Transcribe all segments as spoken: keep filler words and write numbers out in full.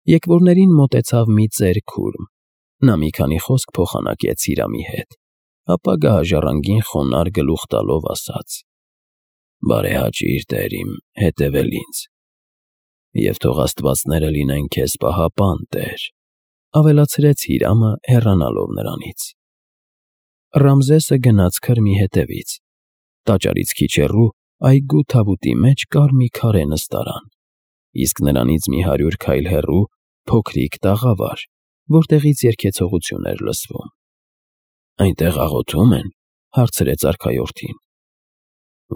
Եկվորներին մոտեցավ մի ծեր քուրմ, նա մի քանի խոսք փոխանակեց Իրամի հետ, ապա գահաժառանգին խոնարհ գլուխ տալով ասաց. «Բարեհաճիր, տեր իմ, հետևել ինձ, և թող աստվածները լինեն քեզ պահապան, տեր», ավելացրեց Հիրամը, հեռանալով նրանից։ Ռամզեսը գնաց քրմի հետևից, տաճարից քիչ հեռու այգու թավուտի մեջ կար մի քարե նստարան, իսկ նրանից մի հարյուր քայլ հեռու փոքրիկ տաղավար, որտեղից երգեցողություն էր լսվում։ «Այնտեղ աղոթում են», հարցրեց արքայորդին։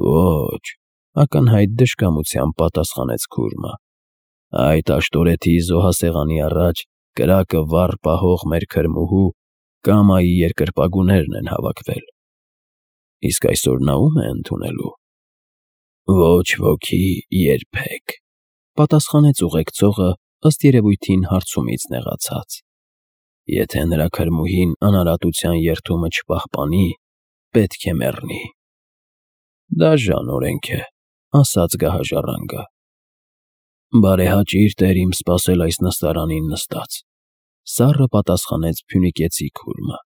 «Ոչ», ակնհայտ դժկամությամբ պատասխանեց քուրմը, «այդ Աշտորեթի զոհասեղանի առաջ կրակը վառ պահող մեր քրմուհու Կամայի երկրպագուներն են հավաքվել»։ «Իսկ այսօր նա ո՞ւմ է ընդունելու»։ «Ոչ ոքի երբեք», պատասխանեց ուղեկցողը, ըստ երևույթին հարցումից նեղացած։ «Եթե նրա քրմուհին անարատության երդումը չպահպանի, պետք է մեռնի»։ «Դաժան օրենք է», ասաց գահաժառանգը։ «Բարեհաճիր, տեր իմ, սպասել այս նստարանին նստած», սառը պատասխանեց փյունիկեցի քուրմը,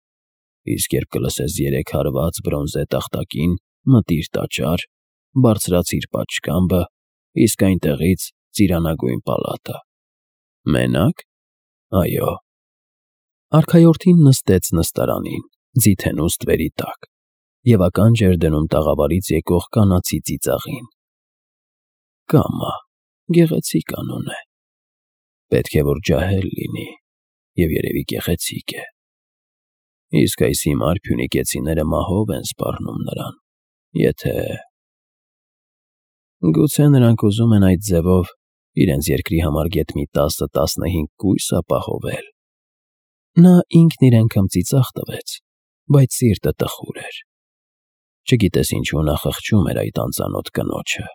«իսկ երբ կլսես երեք հարված բրոնզե տախտակին, մտիր տաճար, բարձրացիր պատշգամբը, իսկ այնտեղից ծիրանագույն պալատը»։ «Մենա՞կ»։ «Այո»։ Արքայորդին նստեց նստարանին, ձիթենու ստվերի տակ, և ականջ էր դնում տաղավարից եկող կանացի ծիծաղին։ «Կամա, գեղեցիկ անուն է։ Պետք է որ ջահել լինի, և երևի գեղեցիկ է։ Իսկ այս հիմար փյունիկեցիները մահով են սպառնում նրան, եթե… Գուցե նրանք ուզում են այդ ձևով իրենց երկրի համար գեթ մի տասը֊տասնհինգ կույս ապահովել»։ Նա ինքն իրեն քմծիծաղ տվեց, բայց սիրտը տխուր էր։ Չգիտես ինչու նա խղճում էր այդ անծանոթ կնոջը,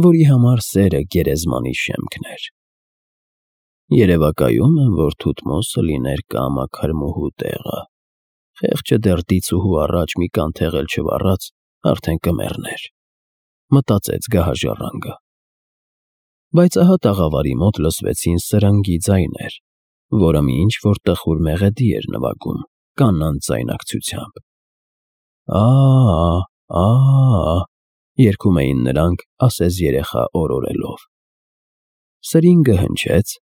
որի համար սերը գերեզմանի շեմքն էր։ Երևակայում եմ, որ Թութմոսը լիներ Կամա քրմուհու տեղը, խեղճը դեռ դիցուհու առաջ մի կանթեղ էլ չվառած արդեն կմեռներ, մտածեց գահաժառանգը։ Բայց ահա տաղավարի մոտ լսվեցին սրնգի ձայներ, որը մի ինչ-որ տխուր մեղեդի էր նվագում կանանց ձայնակցությամբ։ «Ա՜, ա՜», երգում էին նրանք ասես երեխա օրորելով։ Սրինգը հնչեց,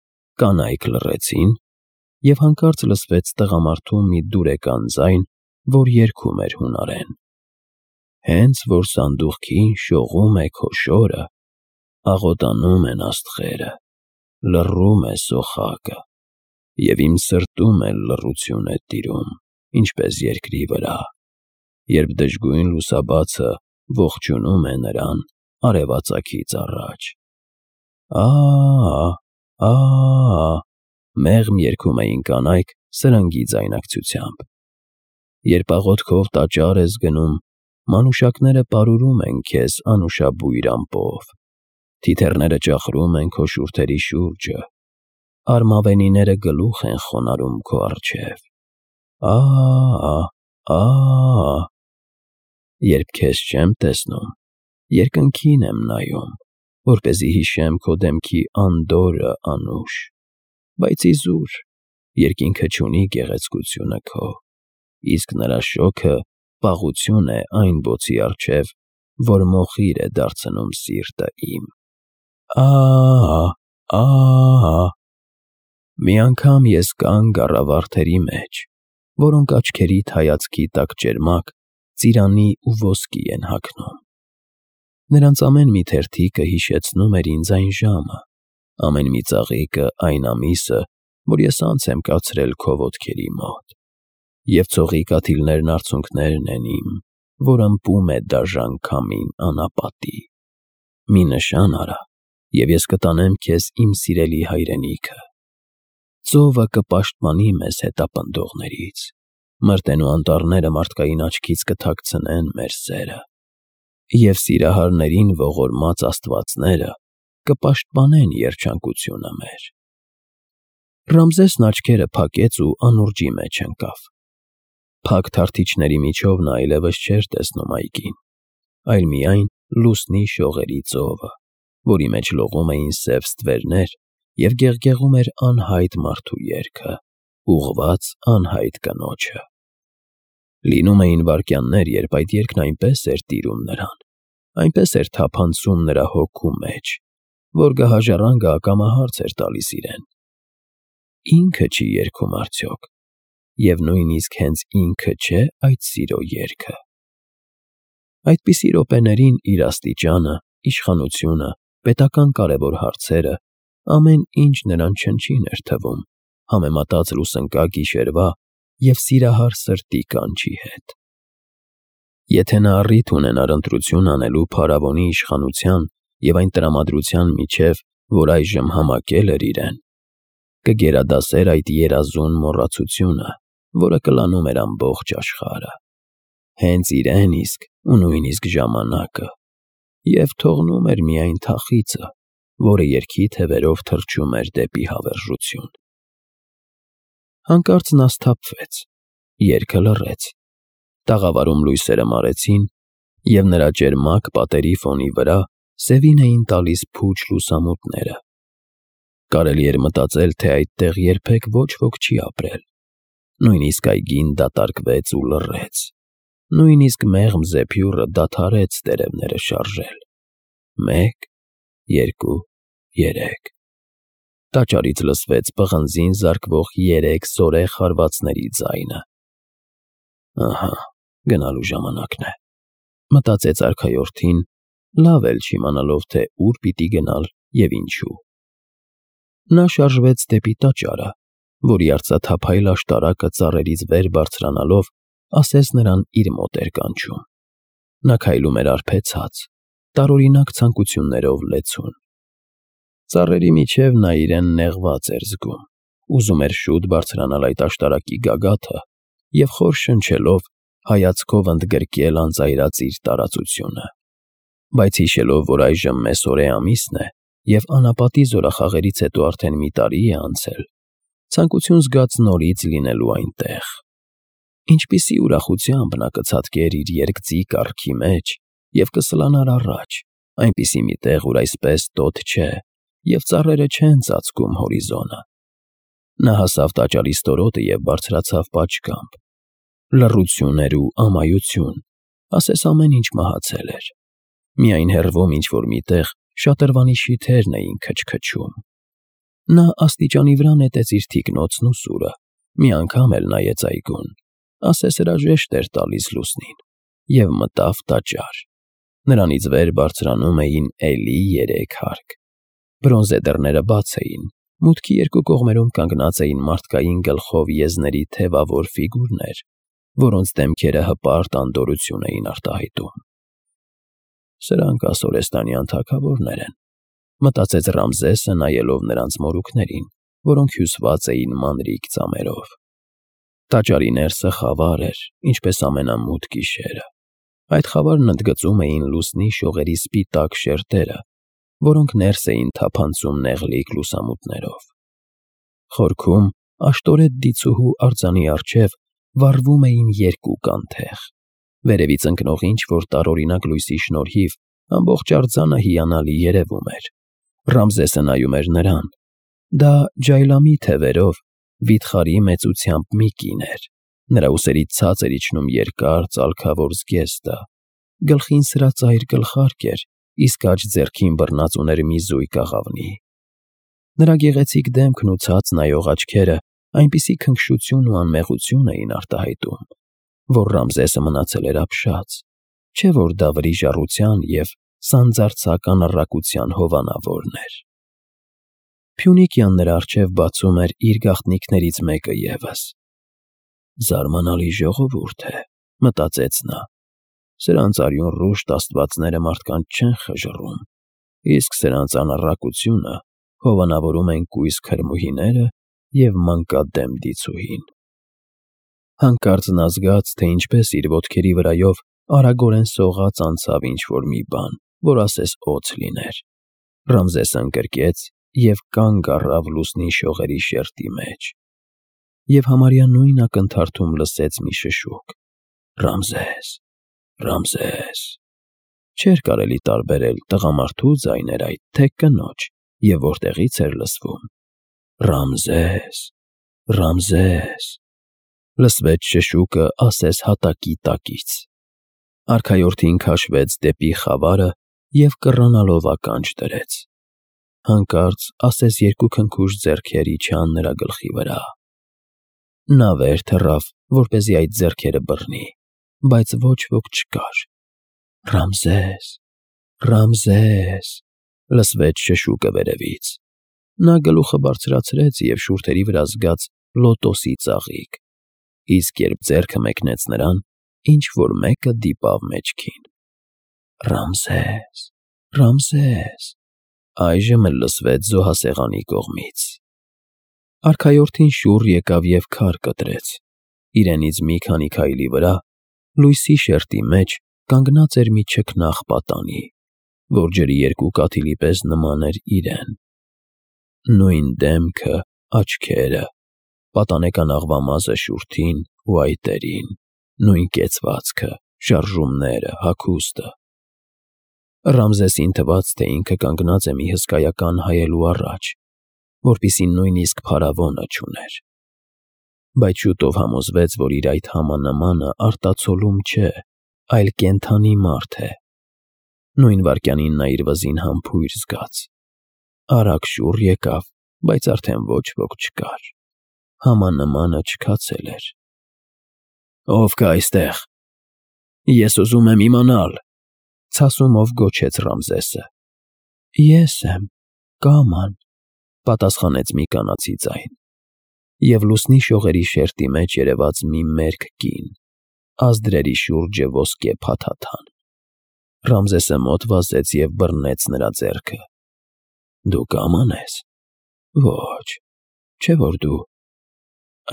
կանայք լռեցին, և հանկարծ լսվեց տղամարդու մի դուրեկան ձայն, որ երգում էր հունարեն. «Հենց որ սանդուղքին շողում է քո շորը, աղոտանում են աստղերը, լռում է սոխակը, և իմ սրտում էլ լռություն է տիրում, ինչպես երկրի վրա, երբ դժգույն լուսաբացը ողջունում է նրան արևածագից առաջ»։ «Ա՜, ա՜», մեղմ երգում էին կանայք սրնգի ձայնակցությամբ։ Երբ աղոթքով տաճար ես գնում, մանուշակները պարուրում են քեզ անուշաբույր ամպով, թիթեռները ճախրում են քո շուրթերի շուրջը, արմավենիները գլուխ են խոնարհում քո առջև։ Ա՜, ա՜, երբ քեզ չեմ տեսնում, երկնքին եմ նայում, որպեսզի հիշեմ քո դեմքի անդորրը անուշ, բայց իզուր, երկինքը չունի գեղեցկությունը քո, իսկ նրա շոգը պաղություն է այն բոցի առջև, որ մոխիր է դարձնում սիրտը իմ։ Ա՜, ա՜։ Մի անգամ ես կանգ առա վարդերի մեջ, որոնք աչքերիդ հայացքի տակ ճերմակ, ծիրանի ու ոսկի են հագնում։ Նրանց ամեն մի թերթիկը հիշեցնում էր ինձ այն ժամը, ամեն մի ծաղիկը այն ամիսը, որ ես անց եմ կացրել քո ոտքերի մոտ, և ցողի կաթիլներն արցունքներն են իմ, որ ըմպում է դաժան քամին անապատի։ Մի նշան արա, և ես կտանեմ քեզ իմ սիրելի հայրենիքը։ Ծովը կպաշտպանի մեզ հետապնդողներից, մրտենու անտառները մարդկային աչքից կթաքցնեն մեր սերը, և սիրահարներին ողորմած աստվածները կպաշտպանեն երջանկությունը մեր։ Ռամզեսն աչքերը փակեց ու անուրջի մեջ ընկավ։ Փակ թարթիչների միջով նա այլևս չէր տեսնում այգին, այլ միայն լուսնի շողերի ծովը, որի մեջ լողում էին սև ստվերներ և գեղգեղում էր անհայտ մարդու երգը, ուղղված անհայտ կնոջը։ Լինում էին վայրկյաններ, երբ այդ երգն այնպես էր տիրում նրան, այնպես էր թափանցում նրա հոգու մեջ, որ գահաժառանգը ակամա հարց էր տալիս իրեն. ինքը չի երգում արդյոք, և նույնիսկ հենց ինքը չէ՞ այդ սիրո երգը։ Այդպիսի րոպեներին իր աստիճանը, իշխանությունը, պետական կարևոր հարցերը, ամեն ինչ նրան չնչին էր թվում, համեմատած լուսնկա գիշերվա և սիրահար սրտի կանչի հետ։ Եթե նա առիթ ունենար ընտրություն անելու փարավոնի իշխանության և այն տրամադրության միջև, որ այժմ համակել էր իրեն, կգերադասեր այդ երազուն մոռացությունը, որը կլանում էր ամբողջ աշխարհը, հենց իրեն իսկ ու նույնիսկ ժամանակը, և թողնում էր միայն թախիծը, որը երգի թևերով թռչում էր դեպի հավերժություն։ Հանկարծ նա սթափվեց, երգը լռեց, տաղավարում լույսերը մարեցին, և նրա ճերմակ պատերի ֆոնի վրա սևին էին տալիս փուչ լուսամուտները։ Կարելի էր մտածել, թե այդտեղ երբեք ոչ ոք չի ապրել, նույնիսկ այգին դատարկվեց ու լռեց, նույնիսկ մեղմ զեփյուռը դադարեց տերևները շարժել։ Մեկ, երկու, երեք… Տաճարից լսվեց պղնձին զարկվող երեք զորեղ հարվածների ձայնը։ «Ահա, գնալու ժամանակն է», մտածեց արքայորդին, լավ էլ չիմանալով, թե ուր պիտի գնալ և ինչու։ Նա շարժվեց դեպի տաճարը, որի արծաթափայլ աշտարակը ծառերից վեր բարձրանալով ասես նրան իր մոտ էր կանչում։ Նա քայլում էր արբեցած, տարօրինակ ցանկություններով լեցուն։ Ծառերի միջև նա իրեն նեղված էր զգում, ուզում էր շուտ բարձրանալ այդ աշտարակի գագաթը և խոր շնչելով հայացքով ընդգրկել անծայրածիր տարածությունը։ Բայց հիշելով, որ այժմ մեսօրե ամիսն է, և անապատի զորախաղերից հետո արդեն մի տարի է անցել, ցանկություն զգաց նորից լինելու այնտեղ։ Ինչպիսի ուրախությամբ նա կցատկեր իր երկծի կառքի մեջ և կսլանար առաջ, այնպիսի մի տեղ, ուր այսպես տոթ չէ, և ծառերը չեն ծածկում հորիզոնը։ Նա հասավ տաճարի ստորոտը և բարձրացավ պատշգամբ։ Լռություն էր ու ամայություն, ասես ամեն ինչ մահացել էր։ Միայն հեռվում ինչ֊որ մի տեղ շատրվանի շիթերն էին քչքչում։ Նա աստիճանի վրա նետեց իր թիկնոցն ու սուրը, մի անգամ էլ նայեց այգուն, ասես հրաժեշտ էր տալիս լուսնին, և մտավ տաճար։ Նրանից վեր բարձրանում էին էլի երեք հարկ։ Բրոնզե դռները բաց էին, մուտքի երկու կողմերում կանգնած էին մարդկային գլխով եզների թևավոր ֆիգուրներ, որոնց դեմքերը հպարտ անդորրություն էին արտահայտում։ «Սրանք ասորեստանյան թագավորներ են», մտածեց Ռամզեսը, նայելով նրանց մորուքներին, որոնք հյուսված էին մանրիկ ծամերով։ Տաճարի ներսը խավար էր, ինչպես ամենամութ գիշերը։ Այդ խավարն ընդգծում էին լուսնի շողերի սպիտակ շերտերը, որոնք ներս էին թափանցում նեղլիկ լուսամուտներով։ Խորքում, աշտորետ դիցուհու արձանի առջև վառվում էին երկու կանթեղ։ Վերևից ընկնող ինչ-որ տարօրինակ լույսի շնորհիվ ամբողջ արձանը հիանալի երևում էր։ Ռամզեսը նայում էր նրան։ Դա ջայլամի թևերով, վիթխարի մեծությամբ մի կին էր։ Նրա ուսերից ցած էր իջնում երկար ծալքավոր զգեստը, գլխին սրածայր գլխարկ էր, իսկ աջ ձեռքին բռնած ուներ մի զույգ աղավնի։ Նրա գեղեցիկ դեմքն ու ցած նայող աչքերը այնպիսի քնքշություն ու անմեղություն էին արտահայտում, որ Ռամզեսը մնացել էր ապշած, չէ՞ որ դա վրիժառության և սանձարձակ անառակության հովանավորն էր։ Փյունիկյան նրա առջև բացում էր իր գաղտնիքներից մեկը ևս։ «Զարմանալի ժողովուրդ է», մտածեց նա։ «Սրանց արյուն֊ռուշտ աստվածները մարդկանց չեն խժռում, իսկ սրանց անառակությունը հովանավորում են կույս քրմուհիները և մանկադեմ դիցուհին»։ Հանկարծ նա զգաց, թե ինչպես իր ոտքերի վրայով արագորեն սողաց անցավ ինչ֊որ մի բան, որ ասես օձ լիներ։ Ռամզեսը ընկրկեց և կանգ առավ լուսնի շողերի շերտի մեջ։ Եվ համարյա նույն ակնթարթում լսեց մի շշուկ. «Ռամզես, Ռամզես»։ Չէր կարելի տարբերել տղամարդու ձայն էր այդ, թե կնոջ, և որտեղից էր լսվում. «Ռամզես, Ռամզես», լսվեց շշուկը ասես հատակի տակից։ Արքայորդին քաշվեց դեպի խավարը և կռանալով ականջ դրեց։ Հանկարծ ասես երկու քնքուշ ձեռքեր իջան նրա գլխի վրա։ Նա վեր թռավ, որպեսզի այդ ձեռքերը բռնի, բայց ոչ ոք չկար։ «Ռամզես, Ռամզես», լսվեց շշուկը վերևից։ Նա գլուխը բարձրացրեց և շուրթերի վրա զգաց լոտոսի ծաղիկ, իսկ երբ ձեռքը մեկնեց նրան, ինչ-որ մեկը դիպավ մեջքին։ «Ռամզես, Ռամզես», այժմ էլ լսվեց զոհասեղանի կողմից։ Արքայորդին շուռ եկավ և քար կտրեց։ Իրենից մի քանի քայլի վրա, լույսի շերտի մեջ, կանգնած էր մի չքնաղ պատանի, որ ջրի երկու կաթիլի պես նման էր իրեն։ Նույն դեմքը, աչքերը, պատանեկան աղվամազը շուրթին ու այտերին, նույն կեցվածքը, շարժումները, հագուստը։ Ռամզեսին թվաց, թե ինքը կանգնած է մի հսկայական հայելու առաջ, որպիսի նույնիսկ փարավոնը չուներ։ Բայց շուտով համոզվեց, որ իր այդ համանմանը արտացոլում չէ, այլ կենդանի մարդ է։ Նույն վայրկյանին նա իր վզին համբույր զգաց։ Արագ շուռ եկավ, բայց արդեն ոչ ոք չկար։ Համանմանը չքացել էր։ «Ո՞վ կա այստեղ։ Ես ուզում եմ իմանալ», ցասումով գոչեց Ռամզեսը։ «Ես եմ, Կաման», պատասխանեց մի կանացի ձայն, և լուսնի շողերի շերտի մեջ երևաց մի մերկ կին, ազդրերի շուրջը ոսկե փաթաթան։ Ռամզեսը մոտ վազեց և բռնեց նրա ձեռքը։ «Դու Կաման ես։ Ոչ, չէ՞ որ դու…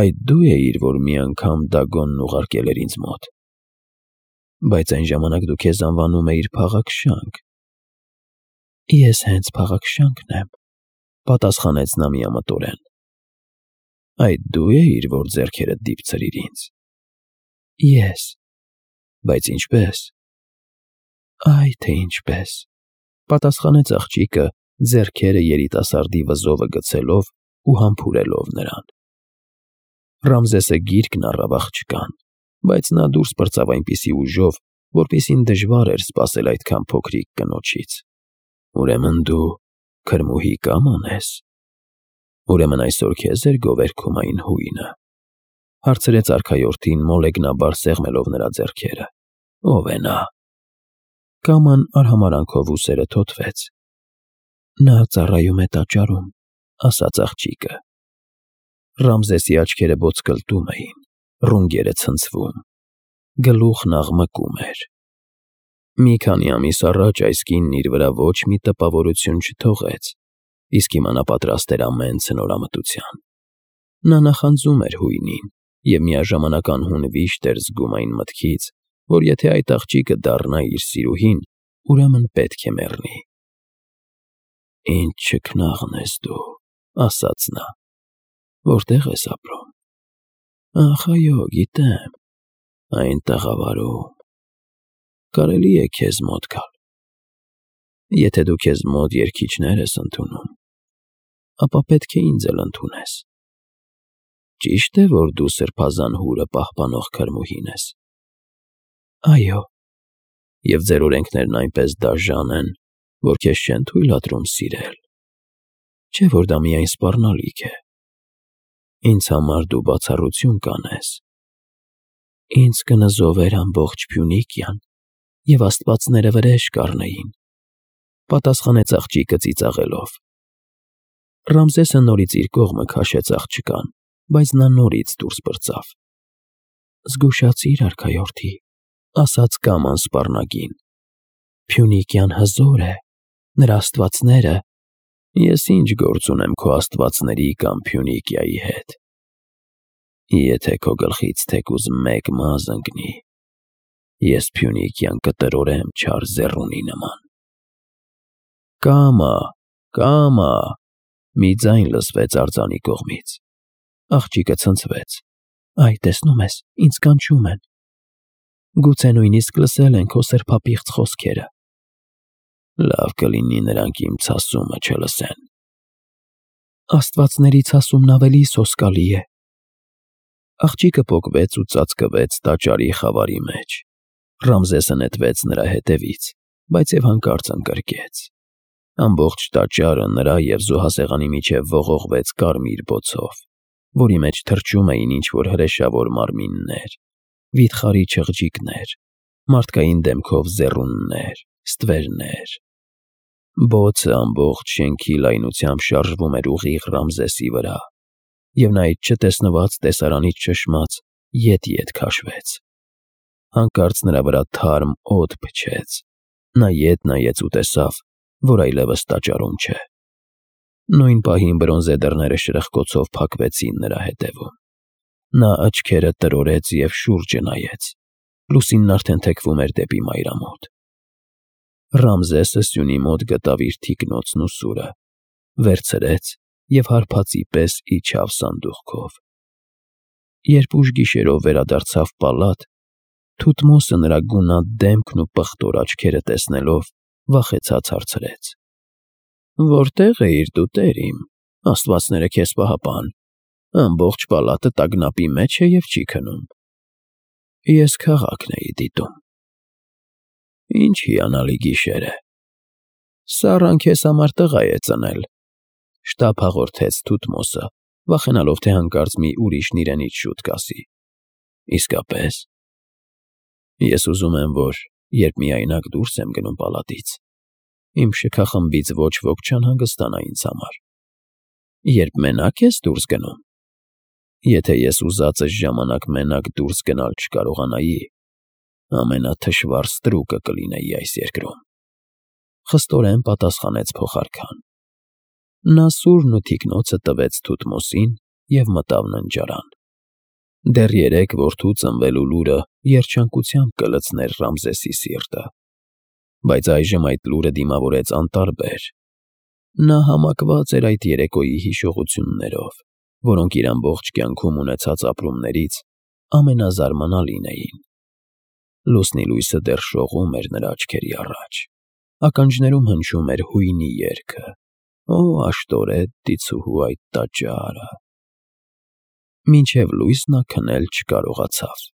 Այդ դու էիր, որ մի անգամ Դագոնն ուղարկել էր ինձ մոտ։ Բայց այն ժամանակ դու քեզ անվանում էիր Փաղաքշանք»։ «Ես հենց Փաղաքշանքն եմ», պատասխանեց նա միամտորեն։ «Այդ դու էիր, որ ձեռքերդ դիպցրիր ինձ»։ «Ես»։ «Բայց ինչպե՞ս»։ «Այ թե ինչպես», պատասխանեց աղջիկը, ձեռքերը երիտասարդի վզովը գցելով ու համբուրելով նրան։ Ռամզեսը գիրկն առավ աղջկան, բայց նա դուրս պրծավ այնպիսի ուժով, որպիսին դժվար էր սպասել այդքան փոքրիկ կնոջից։ «Ուրեմն դու քրմուհի Կաման ես։ Ուրեմն այսօր քեզ էր գովերգում այն հույնը», հարցրեց արքայորդին, մոլեգնաբար սեղմելով նրա ձեռքերը։ «Ո՞վ է նա»։ Կաման արհամարհանքով ուսերը թոթվեց։ «Նա ծառայում է տաճարում», ասաց աղջիկը։ Ռամզեսի աչքերը ոտսկլտում էին, ռունգերը ցնցվում, գլուխն աղմկում էր։ Մի քանի ամիս առաջ այս կինն իր վրա ոչ մի տպավորություն չթողեց, իսկ հիմա նա պատրաստ էր ամեն ցնորամտության։ Նա նախանձում էր հույնին և միաժամանակ անհուն վիշտ էր զգում այն մտքից, որ եթե այդ աղջիկը դառնա իր սիրուհին, ուրեմն պետք է մեռնի։ «Ինչ չքնաղն ես դու», ասաց նա։ «Որտե՞ղ ես ապրում»։ «Ախ, այո, գիտեմ, այն տաղավարում։ Կարելի է քեզ մոտ գալ։ Եթե դու քեզ մոտ երգիչներ ես ընդունում, ապա պետք է ինձ էլ ընդունես։ Ճի՞շտ է, որ դու սրբազան հուրը պահպանող քրմուհին ես»։ «Այո»։ «Եվ ձեր օրենքներն այնպես դաժան են, որ քեզ չեն թույլատրում սիրել։ Չէ՞ որ դա միայն սպառնալիք է։ Ինձ համար դու բացառություն կանես։ Ինձ կնզովեր ամբողջ Փյունիկիան, և աստվածները վրեժ կառնեին», պատասխանեց աղջիկը ծիծաղելով։ Ռամզեսը նորից իր կողմը քաշեց աղջկան, բայց նա նորից դուրս պրծավ։ «Զգուշացիր, արքայորդի», ասաց Կաման սպառնագին։ «Փյունիկիան հզոր է, նրա աստվածները…» «Ես ինչ գործ ունեմ քո աստվածների կամ Փյունիկիայի հետ։ Եթե քո գլխից թեկուզ մեկ մազ ընկնի, ես Փյունիկիան կտրորեմ չար զեռունի նման»։ «Կամա, Կամա», մի ձայն լսվեց արձանի կողմից։ Աղջիկը ցնցվեց։ «Այ, տեսնում ես, ինձ կանչում են։ Գուցե նույնիսկ լսել են քո սրբապիղծ խոսքերը»։ «Լավ կլինի նրանք իմ ցասումը չլսեն», Աստվածներից ասումն ավելի սոսկալի է։ Աղջիկը պոկվեց ու ծածկվեց տաճարի խավարի մեջ։ Ռամզեսը նետվեց նրա հետևից, բայց և հանկարծ ընկրկեց։ Ամբողջ տաճարը նրա և զոհասեղանի միջև ողողվեց կարմիր բոցով, որի մեջ թռչում էին ինչ-որ հրեշավոր մարմիններ, վիթխարի չղջիկներ, մարդկային դեմքով ձեռուններ, ստվերներ։ Բոցը ամբողջ շենքի լայնությամբ շարժվում էր ուղիղ Ռամզեսի վրա, և նա այդ չտեսնված տեսարանից շշմած ետ-ետ քաշվեց։ Հանկարծ նրա վրա թարմ օդ փչեց։ Նա ետ նայեց ու տեսավ, որ այլևս տաճարում չէ։ Նույն պահին բրոնզե դռները շրխկոցով փակվեցին նրա հետևում։ Նա աչքերը տրորեց և շուրջը նայեց։ Լուսինն արդեն թեքվում էր դեպի մայրամուտ։ Ռամզեսը սյունի մոտ գտավ իր թիկնոցն ու սուրը, վերցրեց և հարբածի պես իջավ սանդուղքով։ Երբ ուշ գիշերով վերադարձավ պալատ, Թութմոսը նրա գունատ դեմքն ու պղտոր աչքերը տեսնելով վախեցած հարցրեց. «Որտե՞ղ էիր դու, տեր իմ, աստվածները քեզ պահապան, ամբողջ պալատը տագնապի մեջ է և չի քնում»։ «Ես քաղաքն էի դիտում»։ «Ինչ հիանալի գիշեր է։ Սառան քեզ համար տղա է ծնել», շտապ հաղորդեց Թութմոսը, վախենալով, թե հանկարծ մի ուրիշն իրենից շուտ կասի։ «Իսկապե՞ս։ Ես ուզում եմ, որ երբ միայնակ դուրս եմ գնում պալատից, իմ շքախմբից ոչ ոք չանհանգստանա ինձ համար»։ «Երբ մենակ ես դուրս գնում։ Եթե ես ուզածս ժամանակ մենակ դուրս գնալ չկարողանայի, ամենաթշվառ ստրուկը կլինեի այս երկրում», խստորեն պատասխանեց փոխարքան։ Նա սուրն ու թիկնոցը տվեց Թութմոսին և մտավ ննջարան։ Դեռ երեկ որդու ծնվելու լուրը երջանկությամբ կլցներ Ռամզեսի սիրտը, բայց այժմ այդ լուրը դիմավորեց անտարբեր։ Նա համակված էր այդ երեկոյի հիշողություններով, որոնք իր ամբողջ կյանքում ունեցած ապրումներից ամենազարմանալին էին։ Լուսնի լույսը դեռ շողում էր նրա աչքերի առաջ, ականջներում հնչում էր հույնի երգը. «Օ աշտորետ դիցուհու այդ տաճարը»։ Մինչև լույս նա քնել չկարողացավ։